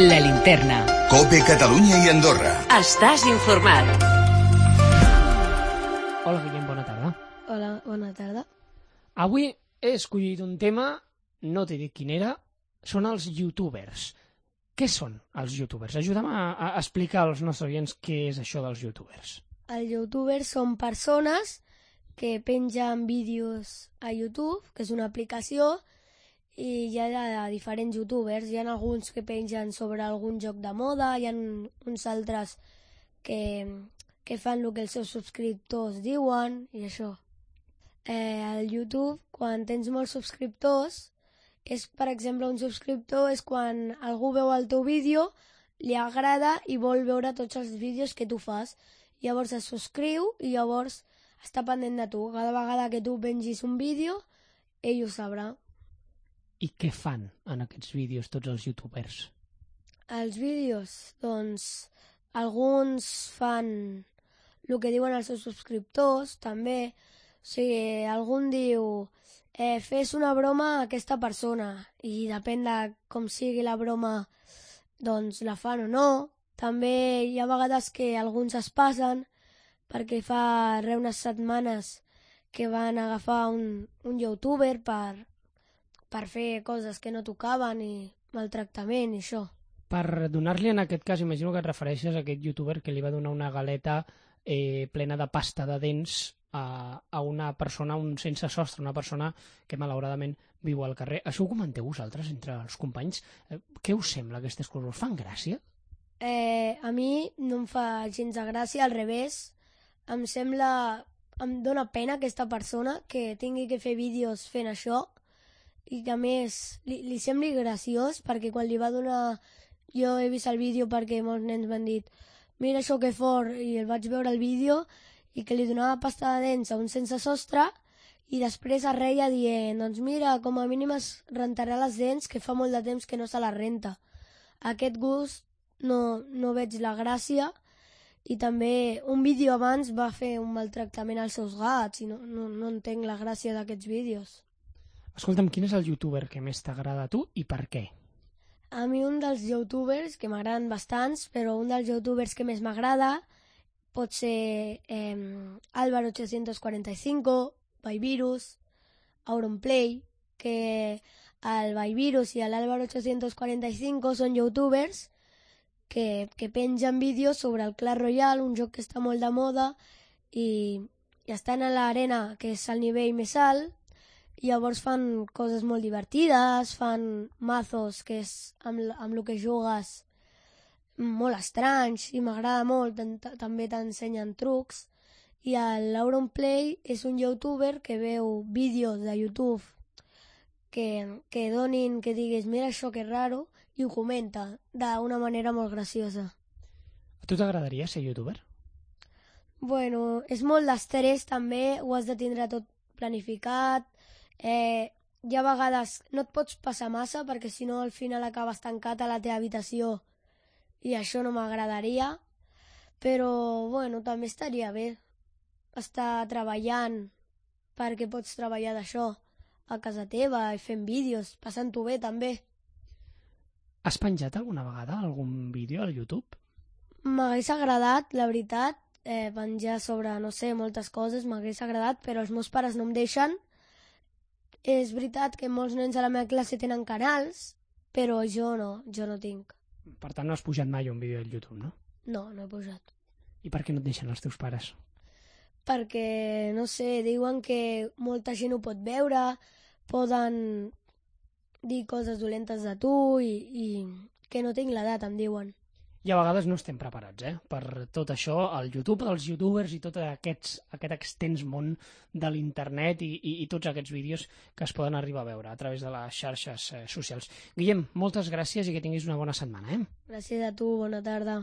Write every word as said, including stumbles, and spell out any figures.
La Linterna. COPE Catalunya i Andorra. Estàs informat. Hola, Guillem, bona tarda. Hola, bona tarda. Avui he escollit un tema, no t'he dit quin era, són els youtubers. Què són els youtubers? Ajuda'm a, a explicar als nostres oients què és això dels youtubers. Els youtubers són persones que pengen vídeos a YouTube, que és una aplicació, i hi ha diferents youtubers. Hi ha alguns que pengen sobre algun joc de moda, hi ha uns altres que, que fan el que els seus subscriptors diuen i això. Eh, al YouTube, quan tens molts subscriptors, és, per exemple, un subscriptor és quan algú veu el teu vídeo, li agrada i vol veure tots els vídeos que tu fas. Llavors es subscriu i llavors està pendent de tu. Cada vegada que tu pengis un vídeo, ell ho sabrà. I què fan en aquests vídeos tots els youtubers? Els vídeos, doncs, alguns fan el que diuen els seus subscriptors, també. O sigui, algun diu, eh, fes una broma a aquesta persona, i depèn de com sigui la broma, doncs la fan o no. També hi ha vegades que alguns es passen, perquè fa re unes setmanes que van agafar un, un youtuber per, per fer coses que no tocaven i maltractament i això. Per donar-li, en aquest cas, imagino que et refereixes a aquest youtuber que li va donar una galeta eh, plena de pasta de dents a, a una persona, un sense sostre, una persona que malauradament viu al carrer. Això ho comenteu vosaltres entre els companys? Eh, què us sembla aquestes coses? Us fan gràcia? Eh, a mi no em fa gens de gràcia, al revés. Em sembla... Em dóna pena aquesta persona que tingui que fer vídeos fent això i que a més li, li sembli graciós, perquè quan li va donar... Jo he vist el vídeo perquè molts nens m'han dit mira això que fort, i el vaig veure el vídeo i que li donava pasta de dents a un sense sostre i després es reia dient doncs mira, com a mínim es rentarà les dents que fa molt de temps que no se la renta. Aquest gust no, no veig la gràcia. I també un vídeo abans va fer un maltractament als seus gats i no, no, no entenc la gràcia d'aquests vídeos. Escolta'm, quin és el youtuber que més t'agrada a tu i per què? A mi un dels youtubers, que m'agraden bastants, però un dels youtubers que més m'agrada pot ser eh, Álvaro ocho cuatro cinco, Byvirus, Auronplay, que el Byvirus i l'Álvaro ocho cuatro cinco són youtubers que, que pengen vídeos sobre el Clash Royale, un joc que està molt de moda, i, i estan a l'arena, que és el nivell més alt, i llavors fan coses molt divertides, fan mazos, que és amb, amb el que jugues, molt estranys, i m'agrada molt, també t'ensenyen trucs. I l'Auronplay és un youtuber que veu vídeos de YouTube que, que donin, que diguis, mira això que raro, i ho comenta d'una manera molt graciosa. A tu t'agradaria ser youtuber? Bueno, és molt d'estrès també, ho has de tindre tot planificat, eh, hi ha vegades no et pots passar massa perquè si no al final acabes tancat a la teva habitació i això no m'agradaria, però bueno, també estaria bé estar treballant perquè pots treballar d'això a casa teva i fent vídeos, passant-ho bé també. Has penjat alguna vegada algun vídeo al YouTube? M'hagués agradat, la veritat, eh, penjar sobre, no sé, moltes coses, m'hagués agradat, però els meus pares no em deixen. És veritat que molts nens a la meva classe tenen canals, però jo no, jo no tinc. Per tant, no has pujat mai un vídeo al YouTube, no? No, no he pujat. I per què no et deixen els teus pares? Perquè, no sé, diuen que molta gent ho pot veure, poden dir coses dolentes de tu i, i que no tinc l'edat, em diuen. I a vegades no estem preparats, eh? Per tot això, el YouTube, els youtubers i tot aquests, aquest extens món de l'internet i, i, i tots aquests vídeos que es poden arribar a veure a través de les xarxes eh, socials. Guillem, moltes gràcies i que tinguis una bona setmana, eh? Gràcies a tu, bona tarda.